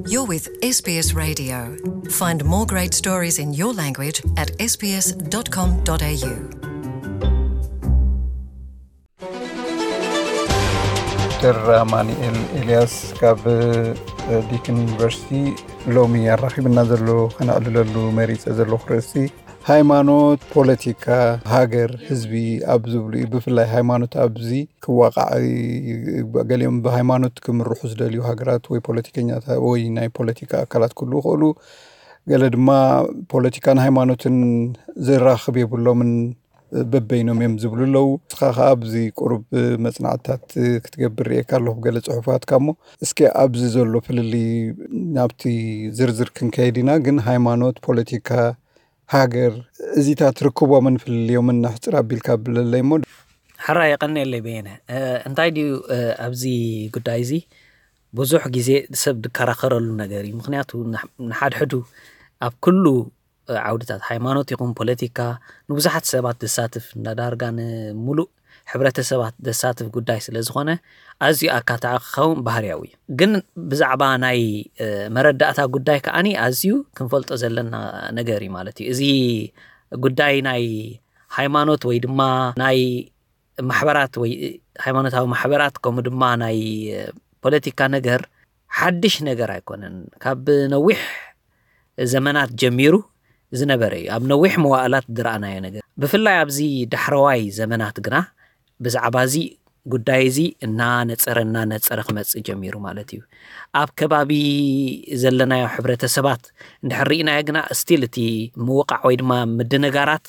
You're with S B S Radio. Find more great stories in your language at S B S dot com dot A U. ዶክተር ኣማኑኤል ኤልያስ ካብ ዲክን ዩኒቨርሲቲ ሎሚ ኣራኺብና ዘሎ፣ ከነዕልለሉ መሪጸ ዘለኹ ርእሲ፣ ሃይማኖት፣ ፖለቲካ፣ ሃገር፣ ህዝቢ ኣብ ዝብሉ እዩ። ብፍላይ ሃይማኖት ኣብዚ ክዋቃዕ፣ ገሊኦም ብሃይማኖት ክምርሑ ዝደልዩ ሃገራት ወይ ፖለቲከኛታት ወይ ናይ ፖለቲካ ኣካላት ክህልዉ ይኽእሉ። ገለ ድማ ፖለቲካን ሃይማኖትን ዝራኽብ የብሎምን፣ በበይኖም እዮም ዝብሉ ኣለዉ። ንስኻ ከኣ ኣብዚ ቁሩብ መጽናዕትታት ክትገብር ርእየካ ኣለኹ፣ ገለ ጽሑፋትካ። እሞ እስኪ ኣብዚ ዘሎ ፍልልይ ናብቲ ዝርዝር ክንከይድ ኢና፣ ግን ሃይማኖት፣ ፖለቲካ፣ ሃገር፣ እዚታት ርክቦምን ፍልልዮምን ንሕጽር ኣቢልካ ብለለይ እሞ። ሕራይ የቐንየለይ በየነ። እ፣ እንታይ ድዩ፣ እ፣ ኣብዚ ጉዳይ እዚ ብዙሕ ግዜ ሰብ ዝከራኸረሉ ነገር እዩ። ምኽንያቱ ንሕ-፣ ንሓድሕዱ ኣብ ኩሉ፣ እ፣ ዓውድታት፣ ሃይማኖት ይኹን ፖለቲካ፣ ንብዙሓት ሰባት ዘሳትፍ፣ እንዳዳርጋ ንምሉእ ሕብረተሰባት ዘሳትፍ ጉዳይ ስለ ዝኾነ፣ ኣዝዩ ኣካታዒ ክኸውን ባህርያዊ እዩ። ግን ብዛዕባ ናይ፣ እ፣ መረዳእታ ጉዳይ ከኣኒ ኣዝዩ ክንፈልጦ ዘለና ነገር እዩ ማለት እዩ። እዚ ጉዳይ ናይ ሃይማኖት ወይ ድማ ናይ ማሕበራት ወይ ሃይማኖታዊ ማሕበራት፣ ከምኡ ድማ ናይ፣ እ፣ ፖለቲካ ነገር ሓድሽ ነገር ኣይኮነን። ካብ ነዊሕ ዘመናት ጀሚሩ ዝነበረ እዩ። ኣብ ነዊሕ መዋእላት ዝረኣናዮ ነገር። ብፍላይ ኣብዚ ዳሕረዋይ ዘመናት ግና ብዛዕባ እዚ ጉዳይ እዚ እናነጸረ፣ እናነጸረ ክመጽእ ጀሚሩ ማለት እዩ። ኣብ ከባቢ ዘለናዮ ሕብረተሰባት እንድሕር ርኢናዮ ግና፣ ስቲል እቲ ምውቃዕ ወይ ድማ ምድንጋራት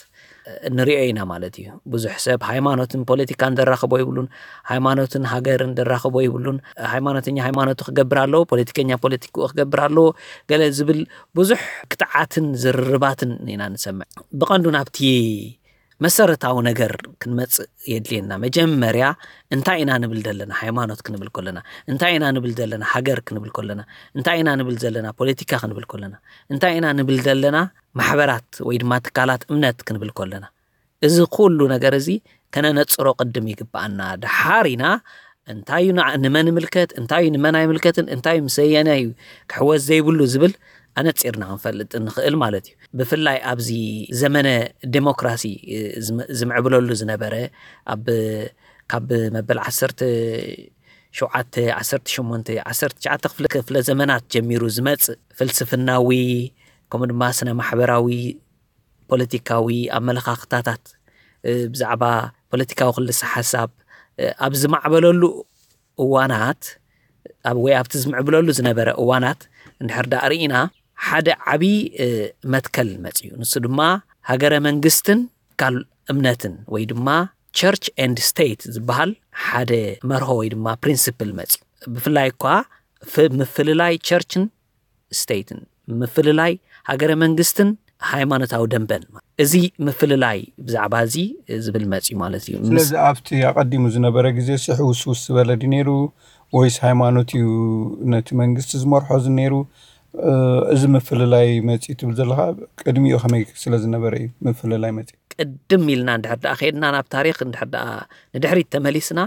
ንሪኦ ኢና ማለት እዩ። ብዙሕ ሰብ ሃይማኖትን ፖለቲካን ዘራኽቦ ይብሉን፣ ሃይማኖትን ሃገርን ዘራኽቦ ይብሉን። ሃይማኖተኛ ሃይማኖቱ ክገብር ኣለዎ፣ ፖለቲከኛ ፖለቲክኡ ክገብር ኣለዎ፣ ገለ ዝብል ብዙሕ ክትዓትን ዝርርባትን ኢና ንሰምዕ። ብቐንዱ ናብቲ መሰረታዊ ነገር ክንመጽእ የድልየና። መጀመርያ እንታይ ኢና ንብል ዘለና? ሃይማኖት ክንብል ከለና እንታይ ኢና ንብል ዘለና? ሃገር ክንብል ከለና እንታይ ኢና ንብል ዘለና? ፖለቲካ ክንብል ከለና እንታይ ኢና ንብል ዘለና? ማሕበራት ወይ ድማ ትካላት እምነት ክንብል ከለና፣ እዚ ኩሉ ነገር እዚ ከነነጽሮ ቅድም ይግብኣና። ደሓር ኢና እንታይ እዩ ንዓ-፣ ንመን ይምልከት፣ እንታይ እዩ ንመን ኣይምልከትን፣ እንታይ እዩ ምስ ኣየናይ እዩ ክሕወስ ዘይብሉ ዝብል ኣነጺርና ክንፈልጥ ንኽእል ማለት እዩ። ብፍላይ ኣብዚ ዘመነ ዴሞክራሲ፣ እ፣ ዝም-፣ ዝምዕብለሉ ዝነበረ፣ ኣብ፣ ካብ መበል ዓሰርተ ሸውዓተ፣ ዓሰርተ ሸሞንተ፣ ዓሰርተ ትሽዓተ ክፍለ፣ ክፍለ ዘመናት ጀሚሩ ዝመጽእ ፍልስፍናዊ፣ ከምኡ ድማ ስነ ማሕበራዊ፣ ፖለቲካዊ ኣመለኻኽታታት፣ እ፣ ብዛዕባ ፖለቲካዊ ክልሰ ሓሳብ፣ እ፣ ኣብ ዝማዕበለሉ እዋናት፣ ኣብ፣ ወይ ኣብቲ ዝምዕብለሉ ዝነበረ እዋናት እንድሕር ደኣ ርኢና፣ ሓደ ዓቢ፣ እ፣ መትከል መጽዩ። ንሱ ድማ ሃገረ መንግስትን ትካል እምነትን ወይ ድማ ቸርች ኤንድ ስቴት ዝበሃል ሓደ መርሆ ወይ ድማ ፕሪንስፕል መጽዩ። ብፍላይ እኳ ፍ-፣ ምፍልላይ ቸርችን ስቴትን፣ ምፍልላይ ሃገረ መንግስትን ሃይማኖታዊ ደንበን። እዚ ምፍልላይ ብዛዕባ እዚ ዝብል መጽዩ ማለት እዩ። ምስ ስለዚ ኣብቲ ኣቐዲሙ ዝነበረ ግዜ ሲ ሕውስውስ ዝበለ ድዩ ነይሩ፣ ወይስ ሃይማኖት እዩ ነቲ መንግስቲ ዝመርሖ ዝነይሩ? እ፣ እዚ ምፍልላይ መጽዩ ትብል ዘለኻ ቅድሚኡ ከመይ ስለ ዝነበረ እዩ ምፍልላይ መጽዩ? ቅድም ኢልና እንድሕር ደኣ ከይድና፣ ናብ ታሪኽ እንድሕር ደኣ ንድሕሪት ተመሊስና፣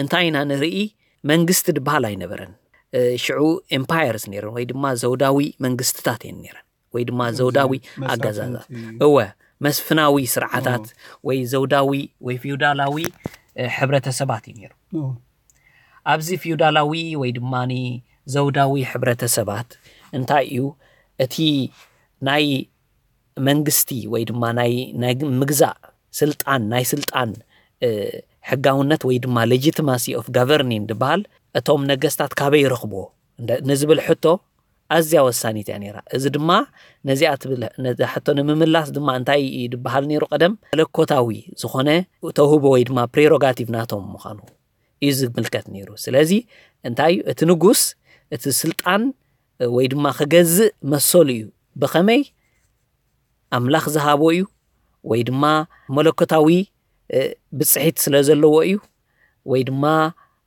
እንታይ ኢና ንርኢ? መንግስቲ ድበሃል ኣይነበረን። እ፣ ሽዑ ኤምፓየርስ ነይረን ወይ ድማ ዘውዳዊ መንግስትታት እየን ነይረን፣ ወይ ድማ ዘውዳዊ መሳፍንቲ። ኣገዛዛት። እወ፣ መስፍናዊ ስርዓታት ወይ ዘውዳዊ ወይ ፊውዳላዊ፣ እ፣ ሕብረተሰባት እዩ ነይሩ። ኦ። ኣብዚ ፊውዳላዊ ወይ ድማ ዘውዳዊ ሕብረተሰባት እንታይ እዩ? እቲ ናይ መንግስቲ ወይ ድማ ናይ፣ ናይ ምግዛእ ስልጣን፣ ናይ ስልጣን፣ እ፣ ሕጋውነት ወይ ድማ ሌጂቲማሲ ኦፍ ጋቨርኒንግ ዝበሃል፣ እቶም ነገስታት ካበይ ይረኽብዎ እንደ-፣ ንዝብል ሕቶ ኣዝያ ወሳኒት እያ ነይራ። እዚ ድማ ነዚኣ ትብል፣ ነዛ ሕቶ ንምምላስ ድማ እንታይ እዩ ዝበሃል ነይሩ? ቀደም መለኮታዊ ዝኾነ ተውህቦ ወይ ድማ ፕሬሮጋቲቭ ናቶም ምዃኑ እዩ ዝምልከት ነይሩ። ስለዚ እንታይ እዩ? እቲ ንጉስ እቲ ስልጣን ወይ ድማ ክገዝእ መሰሉ እዩ። ብኸመይ? ኣምላኽ ዝሃቦ እዩ፣ ወይ ድማ መለኮታዊ፣ እ፣ ብጽሒት ስለ ዘለዎ እዩ፣ ወይ ድማ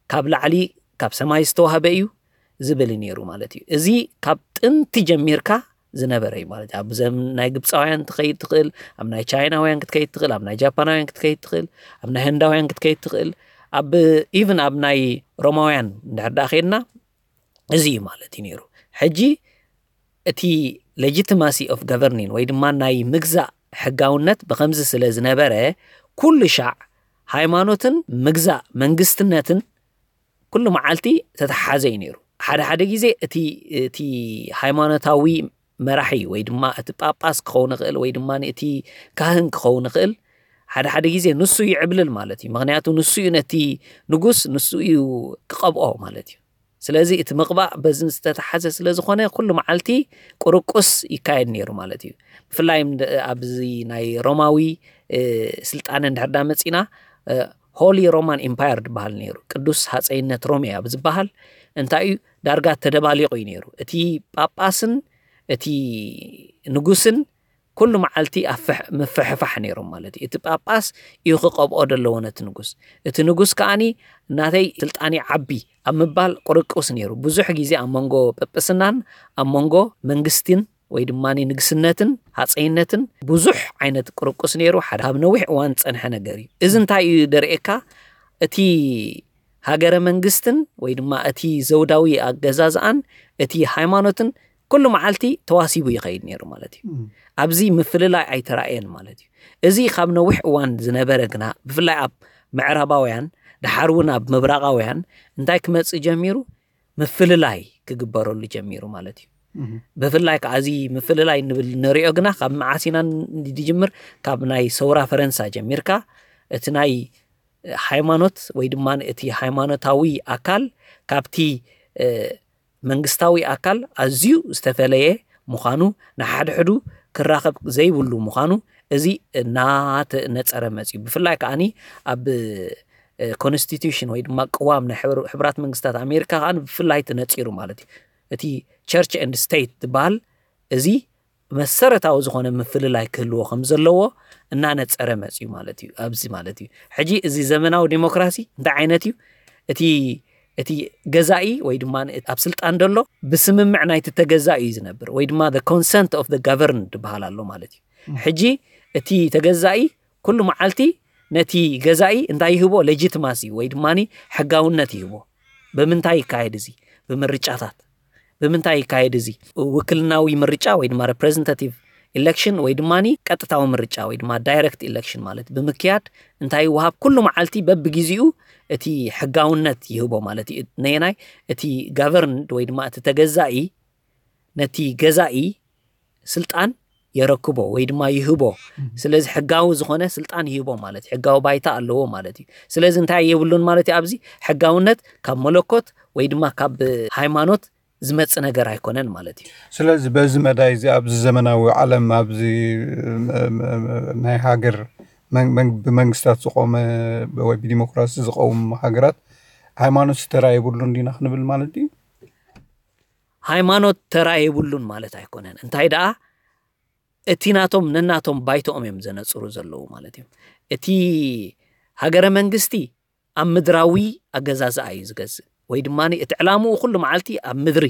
ካብ ላዕሊ ካብ ሰማይ ዝተዋህበ እዩ ዝብል እዩ ነይሩ ማለት እዩ። እዚ ካብ ጥንቲ ጀሚርካ ዝነበረ እዩ ማለት እዩ። ኣብ ዘመን ናይ ግብፃውያን ትኸይድ ትኽእል፣ ኣብ ናይ ቻይናውያን ክትከይድ ትኽእል፣ ኣብ ናይ ጃፓናውያን ክትከይድ ትኽእል፣ ኣብ ናይ ህንዳውያን ክትከይድ ትኽእል፣ ኣብ፣ ኢቭን ኣብ ናይ ሮማውያን እንድሕር ደኣ ከይድና፣ እዚ እዩ ማለት እዩ ነይሩ። ሕጂ እቲ legitimacy of governing ወይ ድማ ናይ ምግዛእ ሕጋውነት ብኸምዚ ስለ ዝነበረ፣ ኩሉ ሻዕ ሃይማኖትን ምግዛእ መንግስትነትን ኩሉ መዓልቲ ተተሓዘ እዩ ነይሩ። ሓደ ሓደ ግዜ እቲ እቲ ሃይማኖታዊ መራሒ ወይ ድማ እቲ ጳጳስ ክኸውን ይኽእል ወይ ድማ እቲ ካህን ክኸውን ይኽእል፣ ሓደ ሓደ ግዜ ንሱ ይዕብልል ማለት እዩ። ምኽንያቱ ንሱ እዩ ነቲ ንጉስ፣ ንሱ እዩ ክቐብኦ ማለት እዩ። ስለዚ እቲ ምቕባእ በዚ ዝተተሓዘ ስለ ዝኾነ ኩሉ መዓልቲ ቁርቁስ ይካየድ ነይሩ ማለት እዩ። ብፍላይ ኣብዚ ናይ ሮማዊ ስልጣነ እንድሕር ዳ መፂና፣ ሆሊ ሮማን ኢምፓየር ዝበሃል ነይሩ፣ ቅዱስ ሃፀይነት ሮሜ ኣብ ዝበሃል እንታይ እዩ፣ ዳርጋ ተደባሊቑ እዩ ነይሩ። እቲ ጳጳስን እቲ ንጉስን ኩሉ መዓልቲ ኣብ ምፍሕፋሕ ነይሮም ማለት እዩ። እቲ ጳጳስ እዩ ክቐብኦ ደለዎ ነቲ ንጉስ፣ እቲ ንጉስ ከዓኒ እናተይ ስልጣኒ ዓቢ ኣብ ምባል ቁርቁስ ነይሩ። ብዙሕ ግዜ ኣብ መንጎ ጳጳስናን ኣብ መንጎ መንግስትን ወይ ድማ ንግስነትን ሃፀይነትን ብዙሕ ዓይነት ቁርቁስ ነይሩ። ሓደ ካብ ነዊሕ እዋን ዝፀንሐ ነገር እዩ። እዚ እንታይ እዩ ደርእየካ? እቲ ሃገረ መንግስትን ወይ ድማ እቲ ዘውዳዊ ኣገዛዝኣን እቲ ሃይማኖትን ኩሉ መዓልቲ ተዋሲቡ ይኸይድ ነይሩ ማለት እዩ። ኣብዚ ምፍልላይ ኣይተራእየን ማለት እዩ። እዚ ካብ ነዊሕ እዋን ዝነበረ ግና ብፍላይ ኣብ ምዕራባውያን፣ ድሓር እውን ኣብ ምብራቓውያን እንታይ ክመፅእ ጀሚሩ? ምፍልላይ ክግበረሉ ጀሚሩ ማለት እዩ። ብፍላይ ከዓ እዚ ምፍልላይ ንብል ንሪኦ ግና ካብ መዓስ ኢና ንጅምር? ካብ ናይ ሰውራ ፈረንሳ ጀሚርካ እቲ ናይ ሃይማኖት ወይ ድማ እቲ ሃይማኖታዊ ኣካል ካብቲ መንግስታዊ ኣካል ኣዝዩ ዝተፈለየ ምዃኑ፣ ንሓድሕዱ ክራኸብ ዘይብሉ ምዃኑ፣ እዚ እናተነፀረ መፅዩ። ብፍላይ ከዓኒ ኣብ ኮንስቲቱሽን ወይ ድማ ቅዋም ናይ ሕቡራት መንግስታት ኣሜሪካ ከዓ ብፍላይ ተነፂሩ ማለት እዩ። እቲ ቸርች ኤንድ ስቴት ዝበሃል እዚ መሰረታዊ ዝኾነ ምፍልላይ ክህልዎ ከም ዘለዎ እናነፀረ መፅዩ ማለት እዩ። ኣብዚ ማለት እዩ ሕጂ እዚ ዘመናዊ ዴሞክራሲ እንታይ ዓይነት እዩ? እቲ እቲ ገዛኢ ወይ ድማ ኣብ ስልጣን ደሎ ብስምምዕ ናይቲ ተገዛኢ እዩ ዝነብር ወይ ድማ consent of the governed ዝበሃል ኣሎ ማለት እዩ። ሕጂ እቲ ተገዛኢ ኩሉ መዓልቲ ነቲ ገዛኢ እንታይ ይህቦ? ሌጂትማሲ ወይ ድማ ሕጋውነት ይህቦ። ብምንታይ ይካየድ እዚ? ብምርጫታት። ብምንታይ ይካየድ እዚ? ውክልናዊ ምርጫ ወይ ድማ ሬፕሬዘንታቲቭ ኢሌክሽን ወይ ድማ ቀጥታዊ ምርጫ ወይ ድማ ዳይሬክት ኢሌክሽን ማለት ብምክያድ እንታይ ይወሃብ? ኩሉ መዓልቲ በብግዜኡ እቲ ሕጋውነት ይህቦ ማለት እዩ። ነየናይ? እቲ ጋቨርንድ ወይ ድማ እቲ ተገዛኢ ነቲ ገዛኢ ስልጣን የረክቦ ወይ ድማ ይህቦ። ስለዚ ሕጋዊ ዝኾነ ስልጣን ይህቦ ማለት እዩ። ሕጋዊ ባይታ ኣለዎ ማለት እዩ። ስለዚ እንታይ የብሉን ማለት እዩ? ኣብዚ ሕጋውነት ካብ መለኮት ወይ ድማ ካብ ሃይማኖት ዝመጽእ ነገር ኣይኮነን ማለት እዩ። ስለዚ በዚ መዳይ እዚ ኣብዚ ዘመናዊ ዓለም ኣብዚ ናይ ሃገር ብመንግስታት ዝቆመ ወይ ብዲሞክራሲ ዝቀውም ሃገራት ሃይማኖት ተራ የብሉን ዲና ክንብል ማለት እዩ? ሃይማኖት ተራ የብሉን ማለት ኣይኮነን። እንታይ ደኣ እቲ ናቶም ነናቶም ባይቶኦም እዮም ዘነጽሩ ዘለዉ ማለት እዩ። እቲ ሃገረ መንግስቲ ኣብ ምድራዊ ኣገዛዝኣ እዩ ዝገዝእ ወይ ድማ እቲ ዕላምኡ ኩሉ መዓልቲ ኣብ ምድሪ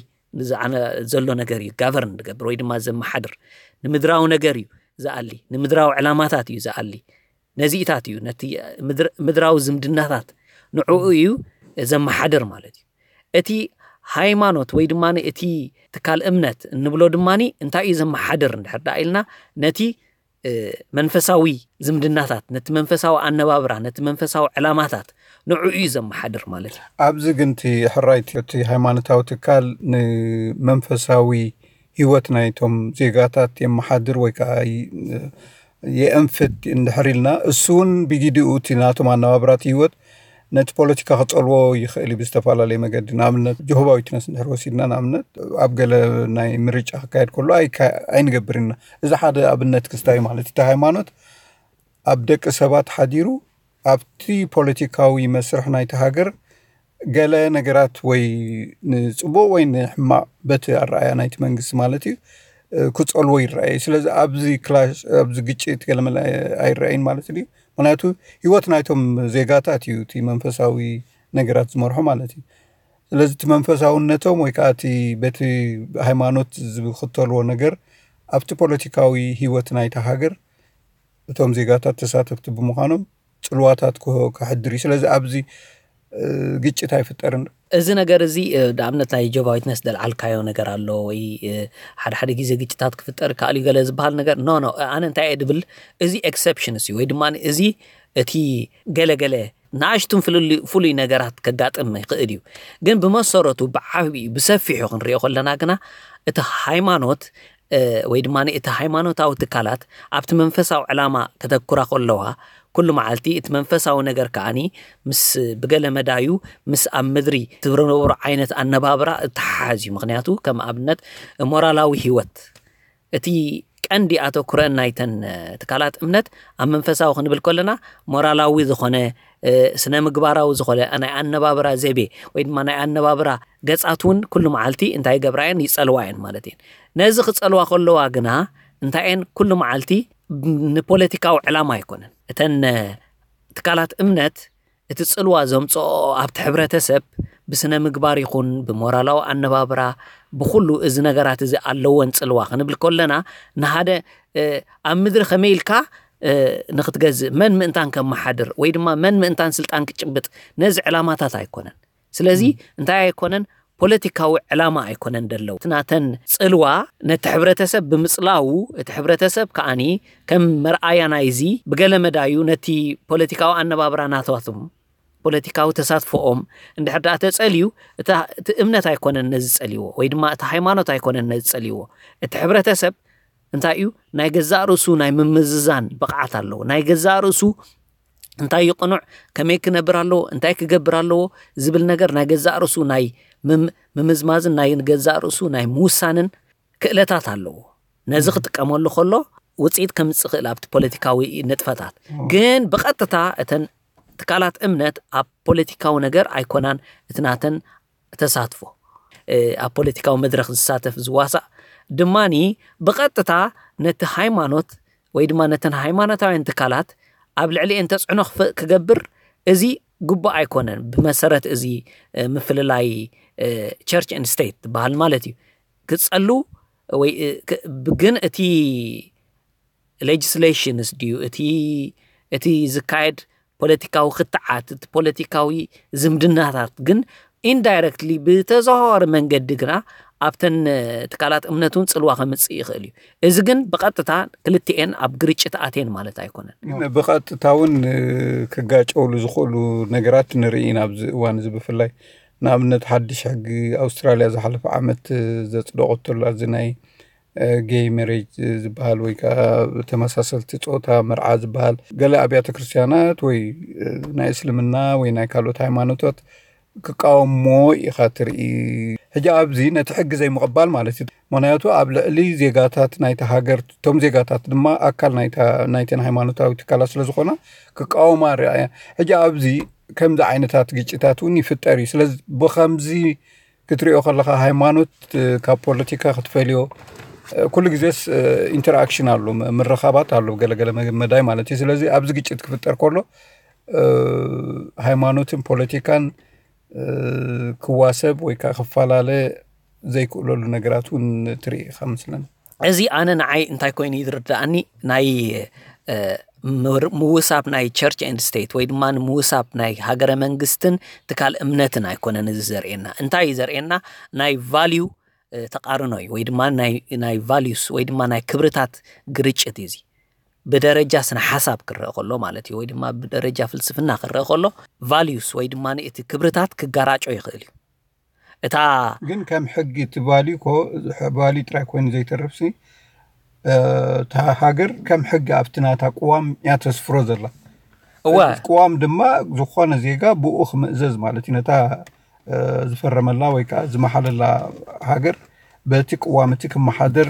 ዘሎ ነገር እዩ ጋቨርን ዝገብር ወይ ድማ ዘመሓድር። ንምድራዊ ነገር እዩ ዝኣሊ፣ ንምድራዊ ዕላማታት እዩ ዝኣሊ። ነዚኢታት እዩ ነቲ ምድራዊ ዝምድናታት ንዕኡ እዩ ዘመሓድር ማለት እዩ። እቲ ሃይማኖት ወይ ድማ እቲ ትካል እምነት እንብሎ ድማ እንታይ እዩ ዘመሓድር እንድሕር ደኣ ኢልና ነቲ መንፈሳዊ ዝምድናታት፣ ነቲ መንፈሳዊ ኣነባብራ፣ ነቲ መንፈሳዊ ዕላማታት ንዕኡ እዩ ዘመሓድር ማለት እዩ። ኣብዚ ግን እቲ ሕራይ እቲ ሃይማኖታዊ ትካል ንመንፈሳዊ ህይወት ናይቶም ዜጋታት የመሓድር ወይ ከዓ የእንፍት እንድሕር ኢልና እሱ እውን ብጊዲኡ እቲ ናቶም ኣነባብራት ህይወት ነቲ ፖለቲካ ክጸልዎ ይኽእል እዩ ብዝተፈላለየ መገዲ። ንኣብነት ጆሆባ ዊትነስ እንድሕር ወሲድና ንኣብነት ኣብ ገለ ናይ ምርጫ ክካየድ ከሎ ኣይንገብር ኢና። እዚ ሓደ ኣብነት ክስታይ ማለት እቲ ሃይማኖት ኣብ ደቂ ሰባት ሓዲሩ ኣብቲ ፖለቲካዊ መስርሕ ናይቲ ሃገር ገለ ነገራት ወይ ንጽቡቕ ወይ ንሕማቕ በቲ ኣረኣያ ናይቲ መንግስቲ ማለት እዩ ክጸልዎ ይረኣየ። ስለዚ ኣብዚ ክላሽ ኣብዚ ግጭት ገለመለ ኣይረኣይን ማለት እዩ። ምክንያቱ ህይወት ናይቶም ዜጋታት እዩ እቲ መንፈሳዊ ነገራት ዝመርሖ ማለት እዩ። ስለዚ እቲ መንፈሳውነቶም ወይ ከዓ እቲ በቲ ሃይማኖት ዝክተልዎ ነገር ኣብቲ ፖለቲካዊ ህይወት ናይታ ሃገር እቶም ዜጋታት ተሳተፍቲ ብምዃኖም ጽልዋታት ከሕድር እዩ። ስለዚ ኣብዚ ግጭት ኣይፍጠርን። እዚ ነገር እዚ ንኣብነት ናይ ጆቫ ዊትነስ ደልዓልካዮ ነገር ኣሎ ወይ ሓደ ሓደ ግዜ ግጭታት ክፍጠር ከኣል እዩ ገለ ዝበሃል ነገር ኖ ኖ ኣነ እንታይ እየ ድብል፣ እዚ ኤክሰፕሽንስ እዩ ወይ ድማ እዚ እቲ ገለገለ ንኣሽቱን ፍሉይ ነገራት ከጋጥም ይኽእል እዩ። ግን ብመሰረቱ ብዓብዩ ብሰፊሑ ክንሪኦ ከለና ግና እቲ ሃይማኖት ወይ ድማ እቲ ሃይማኖታዊ ትካላት ኣብቲ መንፈሳዊ ዕላማ ከተኩራ ከለዋ ኩሉ መዓልቲ እቲ መንፈሳዊ ነገር ከዓኒ ምስ ብገለ መዳዩ ምስ ኣብ ምድሪ ትብረነበሩ ዓይነት ኣነባብራ እተሓሓዝ እዩ። ምክንያቱ ከም ኣብነት ሞራላዊ ህይወት እቲ ቀንዲ ኣተኩረን ናይተን ትካላት እምነት ኣብ መንፈሳዊ ክንብል ከለና ሞራላዊ ዝኾነ ስነ ምግባራዊ ዝኾነ ናይ ኣነባብራ ዘይቤ ወይ ድማ ናይ ኣነባብራ ገጻት እውን ኩሉ መዓልቲ እንታይ ይገብራ እየን ይጸልዋ እየን ማለት እየን። ነዚ ክጸልዋ ከለዋ ግና እንታይ እየን ኩሉ መዓልቲ ንፖለቲካዊ ዕላማ ኣይኮነን እተን ትካላት እምነት እቲ ጽልዋ ዘምጽኦ ኣብቲ ሕብረተሰብ ብስነ ምግባር ይኹን ብሞራላዊ ኣነባብራ ብኩሉ እዚ ነገራት እዚ ኣለወን ጽልዋ ክንብል ከለና ንሓደ ኣብ ምድሪ ከመይ ኢልካ ንክትገዝእ መን ምእንታን ከመሓድር ወይ ድማ መን ምእንታን ስልጣን ክጭብጥ ነዚ ዕላማታት ኣይኮነን። ስለዚ እንታይ ኣይኮነን ፖለቲካዊ ዕላማ ኣይኮነን ደለው ናተን ጽልዋ ነቲ ሕብረተሰብ ብምጽላው እቲ ሕብረተሰብ ከዓኒ ከም መርኣያ ናይዚ ብገለ መዳዩ ነቲ ፖለቲካዊ ኣነባብራ ናታቶም ፖለቲካዊ ተሳትፎኦም እንድሕር ደኣ ተጸልዩ እቲ እምነት ኣይኮነን ነዚ ጸልዎ ወይ ድማ እቲ ሃይማኖት ኣይኮነን ነዚ ጸልዎ። እቲ ሕብረተሰብ እንታይ እዩ ናይ ገዛእ ርእሱ ናይ ምምዝዛን ብቕዓት ኣለዎ። ናይ ገዛእ ርእሱ እንታይ ይቕኑዕ፣ ከመይ ክነብር ኣለዎ፣ እንታይ ክገብር ኣለዎ ዝብል ነገር ናይ ገዛእ ርእሱ ናይ ምምዝማዝን ናይ ገዛእ ርእሱ ናይ ምውሳንን ክእለታት ኣለዎ። ነዚ ክጥቀመሉ ከሎ ውፅኢት ከምፅእ ክእል ኣብቲ ፖለቲካዊ ንጥፈታት ግን ብቐጥታ እተን ትካላት እምነት ኣብ ፖለቲካዊ ነገር ኣይኮናን እቲ ናተን ተሳትፎ ኣብ ፖለቲካዊ መድረክ ዝሳተፍ ዝዋሳእ ድማኒ ብቐጥታ ነቲ ሃይማኖት ወይ ድማ ነተን ሃይማኖታውያን ትካላት ኣብ ልዕሊኤን ተፅዕኖ ክገብር እዚ ግቡእ ኣይኮነን። ብመሰረት እዚ ምፍልላይ ቸርች ኤንድ ስቴት ዝበሃል ማለት እዩ ክፀሉ ወይ ግን እቲ ሌጅስሌሽንስ ድዩ እቲ እቲ ዝካየድ ፖለቲካዊ ክትዓት እቲ ፖለቲካዊ ዝምድናታት ግን ኢንዳይረክትሊ ብተዘዋዋሪ መንገዲ ግና ኣብተን ትካላት እምነት እውን ፅልዋ ከምፅእ ይኽእል እዩ። እዚ ግን ብቐጥታ ክልቲኤን ኣብ ግርጭት ኣትየን ማለት ኣይኮነን። ግን ብቐጥታ እውን ክጋጨውሉ ዝኽእሉ ነገራት ንርኢ ኢና ኣብዚ እዋን እዚ ብፍላይ ንኣብነት ሓድሽ ሕጊ ኣውስትራልያ ዝሓለፈ ዓመት ዘፅደቆተሉ ኣብዚ ናይ ጌይ መሬጅ ዝበሃል ወይ ከዓ ተመሳሰልቲ ፆታ መርዓ ዝበሃል ገለ ኣብያተ ክርስትያናት ወይ ናይ እስልምና ወይ ናይ ካልኦት ሃይማኖታት ክቃወሞ ኢኻ ትርኢ። ሕጂ ኣብዚ ነቲ ሕጊ ዘይምቕባል ማለት እዩ። ምክንያቱ ኣብ ልዕሊ ዜጋታት ናይቲ ሃገር እቶም ዜጋታት ድማ ኣካል ናይተን ሃይማኖታዊ ትካላት ስለዝኾና ክቃወማ ርኣያ። ሕጂ ኣብዚ ከምዚ ዓይነታት ግጭታት እውን ይፍጠር እዩ። ስለዚ ብከምዚ ክትሪኦ ከለካ ሃይማኖት ካብ ፖለቲካ ክትፈልዮ ኩሉ ግዜስ ኢንተርኣክሽን ኣሎ፣ ምርኻባት ኣሎ ገለገለ መዳይ ማለት እዩ። ስለዚ ኣብዚ ግጭት ክፍጠር ከሎ ሃይማኖትን ፖለቲካን ክዋሰብ ወይ ከዓ ክፈላለ ዘይክእለሉ ነገራት እውን ትርኢ ኢኻ መስለኒ። እዚ ኣነ ንዓይ እንታይ ኮይኑ እዩ ዝርዳእኒ ናይ ምውሳብ ናይ ቸርች ኤንድ ስቴት ወይ ድማ ንምውሳብ ናይ ሃገረ መንግስትን ትካል እምነትን ኣይኮነን እዚ ዘርእየና። እንታይ እዩ ዘርእየና? ናይ ቫልዩ ተቃርኖ እዩ ወይ ድማ ናይ ቫልዩስ ወይ ድማ ናይ ክብርታት ግርጭት እዩ። እዚ ብደረጃ ስነ ሓሳብ ክረአ ከሎ ማለት እዩ ወይ ድማ ብደረጃ ፍልስፍና ክረአ ከሎ ቫልዩስ ወይ ድማ እቲ ክብርታት ክጋራጮ ይኽእል እዩ። እታ ግን ከም ሕጊ እቲ ቫልዩ ኮ ቫልዩ ጥራይ ኮይኑ ዘይተርፍሲ እታ ሃገር ከም ሕጊ ኣብቲ ናታ ቅዋም እያ ተስፍሮ ዘላ። እወ ቅዋም ድማ ዝኾነ ዜጋ ብኡ ክምእዘዝ ማለት እዩ። ነታ ዝፈረመላ ወይ ከዓ ዝመሓለላ ሃገር በቲ ቅዋም እቲ ክመሓደር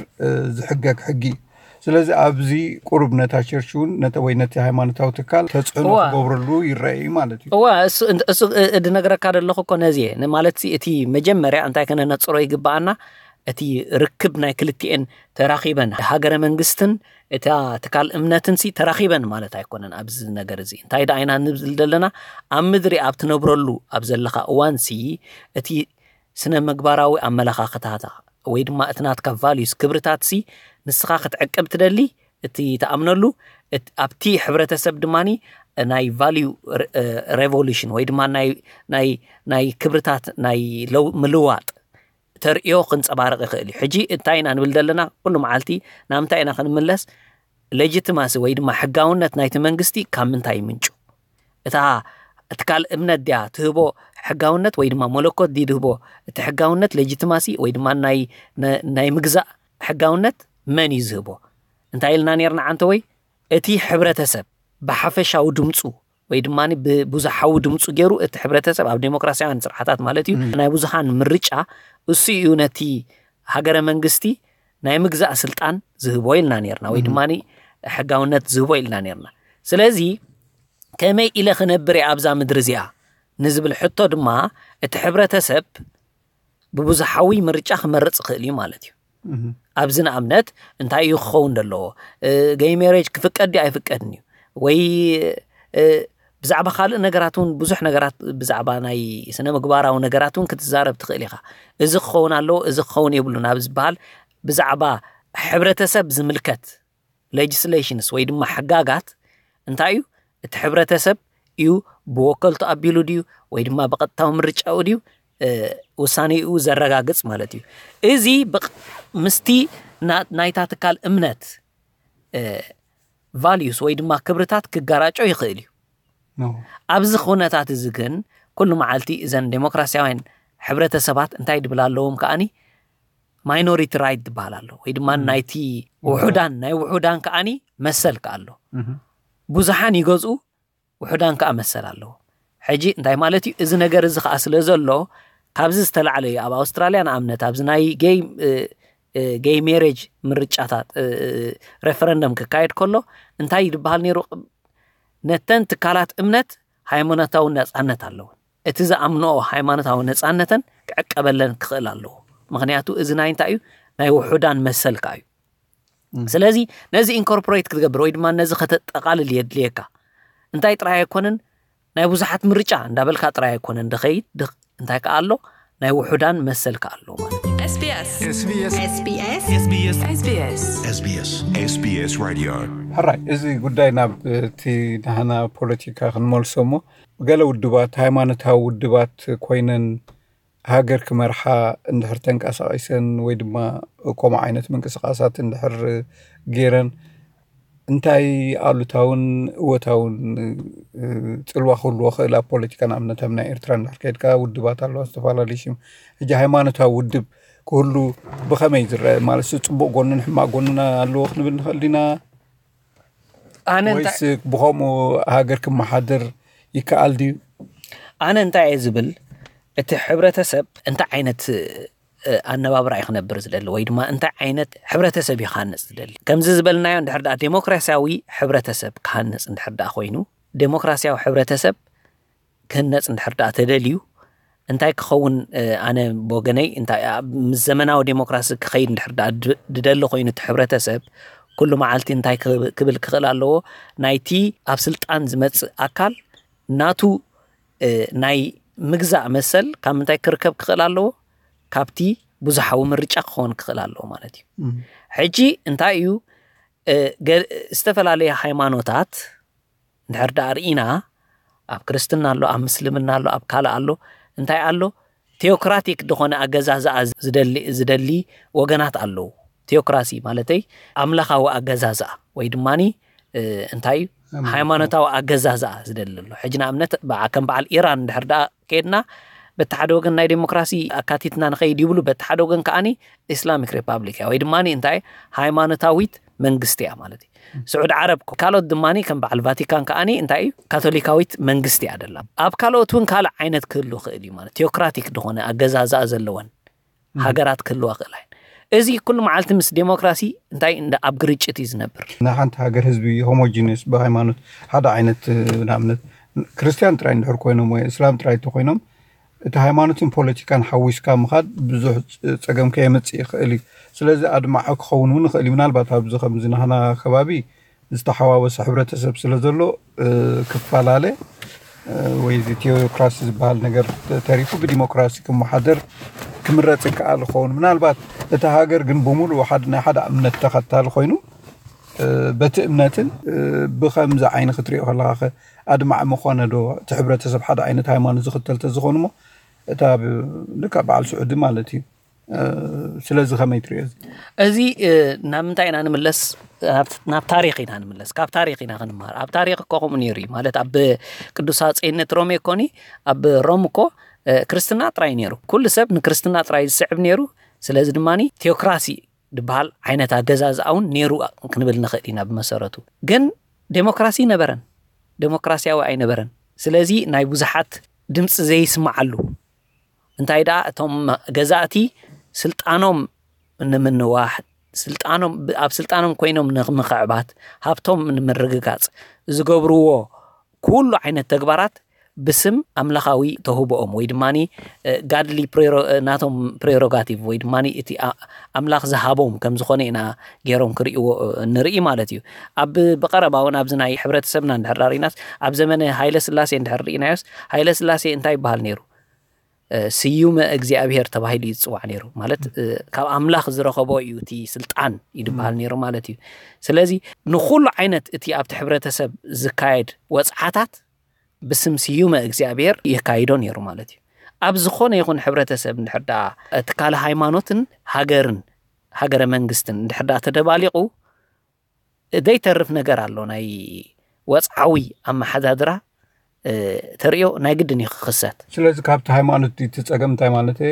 ዝሕገግ ሕጊ እዩ። ስለዚ ኣብዚ ቁሩብ ነታ ቸርች እውን ነተ ወይ ነቲ ሃይማኖታዊ ትካል ተፅዕኖ እዋ። ክገብረሉ ይረአ እዩ ማለት እዩ። እዋ እሱ እሱ ድነግረካ ዘለኹ እኮ ነዚ እየ ማለት እቲ መጀመርያ እንታይ ከነነፅሮ ይግበኣና እቲ ርክብ ናይ ክልቲኤን ተራኺበን ሃገረ መንግስትን እታ ትካል እምነትን ሲ ተራኺበን ማለት ኣይኮነን። ኣብዚ ነገር እዚ እንታይ ደኣ ኢና ንብል ዘለና ኣብ ምድሪ ኣብ ትነብረሉ ኣብ ዘለኻ እዋን ሲ እቲ ስነ ምግባራዊ ኣመለኻኽታታ ወይ ድማ እቲ ናትካ ቫልዩስ ክብርታት ሲ ንስኻ ክትዕቅብ ትደሊ እቲ ትኣምነሉ ኣብቲ ሕብረተሰብ ድማ ናይ ቫልዩ ሬቮሉሽን ወይ ድማ ናይ ናይ ናይ ክብርታት ናይ ለው ምልዋጥ ተርእዮ ክንጸባረቕ ይኽእል እዩ። ሕጂ እንታይ ኢና ንብል ዘለና? ኩሉ መዓልቲ ናብ ምንታይ ኢና ክንምለስ? ሌጂቲማሲ ወይ ድማ ሕጋውነት ናይቲ መንግስቲ ካብ ምንታይ ይምንጩ? እታ ትካል እምነት ድያ ትህቦ ሕጋውነት ወይ ድማ መለኮት ድዩ ዝህቦ? እቲ ሕጋውነት ሌጂቲማሲ ወይ ድማ ናይ ናይ ምግዛእ ሕጋውነት መን እዩ ዝህቦ? እንታይ ኢልና ነርና ዓንተ ወይ እቲ ሕብረተሰብ ብሓፈሻዊ ድምፁ ወይ ድማ ብብዙሓዊ ድምፁ ገይሩ እቲ ሕብረተሰብ ኣብ ዴሞክራሲያውያን ስርዓታት ማለት እዩ ናይ ብዙሓን ምርጫ እሱ እዩ ነቲ ሃገረ መንግስቲ ናይ ምግዛእ ስልጣን ዝህቦ ኢልና ነርና ወይ ድማ ሕጋውነት ዝህቦ ኢልና ነርና። ስለዚ ከመይ ኢለ ክነብር እየ ኣብዛ ምድሪ እዚኣ ንዝብል ሕቶ ድማ እቲ ሕብረተሰብ ብብዙሓዊ ምርጫ ክመርፅ ይኽእል እዩ ማለት እዩ። ኣብዚ ንኣብነት እንታይ እዩ ክኸውን ዘለዎ? ገይ ሜሬጅ ክፍቀድ ድዩ ኣይፍቀድን እዩ ወይ ብዛዕባ ካልእ ነገራት እውን ብዙሕ ነገራት ብዛዕባ ናይ ስነ ምግባራዊ ነገራት እውን ክትዛረብ ትኽእል ኢኻ። እዚ ክኸውን ኣለዎ፣ እዚ ክኸውን የብሉን ኣብ ዝበሃል ብዛዕባ ሕብረተሰብ ዝምልከት ሌጅስሌሽንስ ወይ ድማ ሕጋጋት እንታይ እዩ? እቲ ሕብረተሰብ እዩ ብወከልቱ ኣቢሉ ድዩ ወይ ድማ ብቐጥታዊ ምርጫኡ ድዩ ውሳኔኡ ዘረጋግጽ ማለት እዩ። እዚ ምስቲ ናይታ ትካል እምነት ቫልዩስ ወይ ድማ ክብርታት ክጋራጮ ይኽእል እዩ። ኣብዚ ኩነታት እዚ ግን ኩሉ መዓልቲ እዘን ዴሞክራሲያውያን ሕብረተሰባት እንታይ ድብል ኣለዎም ከኣኒ ማይኖሪቲ ራይት ዝበሃል ኣሎ ወይ ድማ ናይቲ ውሑዳን ናይ ውሑዳን ከኣኒ መሰል ከኣ ኣሎ። ብዙሓን ይገዝኡ ውሑዳን ከኣ መሰል ኣለዎ። ሕጂ እንታይ ማለት እዩ? እዚ ነገር እዚ ከኣ ስለ ዘሎ ካብዚ ዝተላዕለ እዩ። ኣብ ኣውስትራልያ ንኣብነት ኣብዚ ናይ ጌይ ጌይ ሜሬጅ ምርጫታት ሬፈረንደም ክካየድ ከሎ እንታይ ዝበሃል ነይሩ? ነተን ትካላት እምነት ሃይማኖታዊ ነጻነት ኣለወን። እቲ ዝኣምንኦ ሃይማኖታዊ ነጻነተን ክዕቀበለን ክኽእል ኣለዎ። ምኽንያቱ እዚ ናይ እንታይ እዩ? ናይ ውሑዳን መሰል ከኣ እዩ። ስለዚ ነዚ ኢንኮርፖሬት ክትገብር ወይ ድማ ነዚ ከተጠቓልል የድልየካ። እንታይ ጥራይ ኣይኮነን ናይ ብዙሓት ምርጫ እንዳበልካ ጥራይ ኣይኮነን ድኸይድ እንታይ ከኣ ኣሎ ናይ ውሑዳን መሰል ከኣ ኣሎ ማለት እዩ። SBS SBS SBS SBS SBS SBS Radio። ሕራይ እዚ ጉዳይ ናብ እቲ ናህና ፖለቲካ ክንመልሶ እሞ ገለ ውድባት ሃይማኖታዊ ውድባት ኮይነን ሃገር ክመርሓ እንድሕር ተንቀሳቒሰን ወይ ድማ ከምኡ ዓይነት ምንቅስቓሳት እንድሕር ገይረን እንታይ ኣሉታውን እወታውን ጽልዋ ክህልዎ ክእል ኣብ ፖለቲካ ንኣብነት ኣብ ናይ ኤርትራ እንድሕር ከድካ ውድባት ኣለዋ ዝተፈላለዩ ሽም ሕጂ ሃይማኖታዊ ውድብ ክህሉ ብኸመይ ዝረአ ማለት ጽቡቕ ጎንን ሕማቕ ጎንን ኣለዎ ክንብል ንኽእል ዲና ኣነ እንታይ ወይስ ብኸምኡ ሃገር ክመሓደር ይከኣል ድዩ? ኣነ እንታይ እየ ዝብል እቲ ሕብረተሰብ እንታይ ዓይነት ኣነባብራ እዩ ክነብር ዝደሊ ወይ ድማ እንታይ ዓይነት ሕብረተሰብ እዩ ክሃንፅ ዝደሊ? ከምዚ ዝበልናዮ እንድሕር ደኣ ዴሞክራሲያዊ ሕብረተሰብ ክሃንፅ እንድሕር ደኣ ኮይኑ ዴሞክራሲያዊ ሕብረተሰብ ክህነፅ እንድሕር ደኣ ተደልዩ እንታይ ክኸውን ኣነ ብወገነይ እንታይ ምስ ዘመናዊ ዴሞክራሲ ክኸይድ እንድሕር ደኣ ድደሊ ኮይኑ እቲ ሕብረተሰብ ኩሉ መዓልቲ እንታይ ክብል ክኽእል ኣለዎ? ናይቲ ኣብ ስልጣን ዝመፅእ ኣካል ናቱ ናይ ምግዛእ መሰል ካብ ምንታይ ክርከብ ክኽእል ኣለዎ? ካብቲ ብዙሓዊ ምርጫ ክኸውን ክኽእል ኣለዎ ማለት እዩ። ሕጂ እንታይ እዩ ዝተፈላለየ ሃይማኖታት እንድሕር ደኣ ርኢና ኣብ ክርስትና ኣሎ ኣብ ምስልምና ኣሎ ኣብ ካልእ ኣሎ እንታይ ኣሎ ቴኦክራቲክ ዝኾነ ኣገዛዝኣ ዝደሊ ዝደሊ ወገናት ኣለዉ። ቴኦክራሲ ማለተይ ኣምላኻዊ ኣገዛዝኣ ወይ ድማ እንታይ እዩ ሃይማኖታዊ ኣገዛዝኣ ዝደሊ ኣሎ። ሕጂ ንኣብነት ከም በዓል ኢራን እንድሕር ደኣ ከድና በቲ ሓደ ወገን ናይ ዴሞክራሲ ኣካቲትና ንኸይድ ይብሉ፣ በቲ ሓደ ወገን ከኣኒ ኢስላሚክ ሪፓብሊክ እያ ወይ ድማ እንታይ ሃይማኖታዊት መንግስቲ እያ ማለት እዩ። ስዑድ ዓረብ ካልኦት ድማ ከም በዓል ቫቲካን ከኣኒ እንታይ እዩ ካቶሊካዊት መንግስቲ እያ ደላ። ኣብ ካልኦት እውን ካልእ ዓይነት ክህሉ ክእል እዩ ማለት ቴኦክራቲክ ዝኾነ ኣገዛዝኣ ዘለወን ሃገራት ክህልዋ ክእላ እየን። እዚ ኩሉ መዓልቲ ምስ ዴሞክራሲ እንታይ እንደ ኣብ ግርጭት እዩ ዝነብር። ናይ ሓንቲ ሃገር ህዝቢ ሆሞጂነስ ብሃይማኖት ሓደ ዓይነት ንኣብነት ክርስትያን ጥራይ እንድሕር ኮይኖም ወይ እስላም ጥራይ እንተኮይኖም እቲ ሃይማኖትን ፖለቲካን ሓዊስካ ምኻድ ብዙሕ ፀገም ከየምፅእ ይኽእል እዩ። ስለዚ ኣድማዒ ክኸውን እውን ይኽእል እዩ። ምናልባት ኣብዚ ከምዚ ናህና ከባቢ ዝተሓዋወሰ ሕብረተሰብ ስለ ዘሎ ክፈላለ ወይ እዚ ቴዎክራሲ ዝበሃል ነገር ተሪፉ ብዲሞክራሲ ክመሓደር ክምረፅ ይከኣል ይኸውን። ምናልባት እቲ ሃገር ግን ብምሉእ ናይ ሓደ እምነት ተኸታሊ ኮይኑ በቲ እምነትን ብከምዚ ዓይኒ ክትሪኦ ከለካ ኣድማዕ ምኾነ ዶ? እቲ ሕብረተሰብ ሓደ ዓይነት ሃይማኖት ዝኽተል ተዝኾኑ እሞ እታ ልካ በዓል ስዑዲ ማለት እዩ። ስለዚ ከመይ ትሪኦ? እዚ ናብ ምንታይ ኢና ንምለስ? ናብ ታሪክ ኢና ንምለስ። ካብ ታሪክ ኢና ክንምሃር። ኣብ ታሪክ እኮ ከምኡ ነይሩ እዩ ማለት ኣብ ቅዱስ ኣፀይነት ሮሜ እኮኒ ኣብ ሮም እኮ ክርስትና ጥራይ ነይሩ። ኩሉ ሰብ ንክርስትና ጥራይ ዝስዕብ ነይሩ። ስለዚ ድማ ቴዎክራሲ ዝበሃል ዓይነት ኣገዛዝኣ እውን ነይሩ ክንብል ንኽእል ኢና። ብመሰረቱ ግን ዴሞክራሲ ኣይነበረን፣ ዴሞክራሲያዊ ኣይነበረን። ስለዚ ናይ ብዙሓት ድምፂ ዘይስማዓሉ እንታይ ደኣ እቶም ገዛእቲ ስልጣኖም ንምንዋሕ ስልጣኖም ኣብ ስልጣኖም ኮይኖም ንምኽዕባት ሃብቶም ንምርግጋፅ ዝገብርዎ ኩሉ ዓይነት ተግባራት ብስም ኣምላኻዊ ተህቦኦም ወይ ድማ ጋድሊ ናቶም ፕሬሮጋቲቭ ወይ ድማ እቲ ኣምላኽ ዝሃቦም ከም ዝኾነ ኢና ገይሮም ክርእይዎ ንርኢ ማለት እዩ። ኣብ ብቐረባ እውን ኣብዚ ናይ ሕብረተሰብና እንድሕር ዳሪናስ ኣብ ዘመነ ሃይለ ስላሴ እንድሕር ርኢናዮስ ሃይለ ስላሴ እንታይ ይበሃል ነይሩ? ስዩመ እግዚኣብሔር ተባሂሉ እዩ ዝፅዋዕ ነይሩ። ማለት ካብ ኣምላኽ ዝረኸቦ እዩ እቲ ስልጣን እዩ ዝበሃል ነይሩ ማለት እዩ። ስለዚ ንኩሉ ዓይነት እቲ ኣብቲ ሕብረተሰብ ዝካየድ ወፅዓታት ብስም ስዩመ እግዚኣብሔር የካይዶ ነይሩ ማለት እዩ። ኣብ ዝኾነ ይኹን ሕብረተሰብ እንድሕር ደኣ ትካል ሃይማኖትን ሃገርን ሃገረ መንግስትን እንድሕር ደኣ ተደባሊቑ ዘይተርፍ ነገር ኣሎ። ናይ ወፅዓዊ ኣመሓዳድራ ተርእዮ ናይ ግድን እዩ ክኽሰት። ስለዚ ካብቲ ሃይማኖት እቲ ፀገም እንታይ ማለት እየ?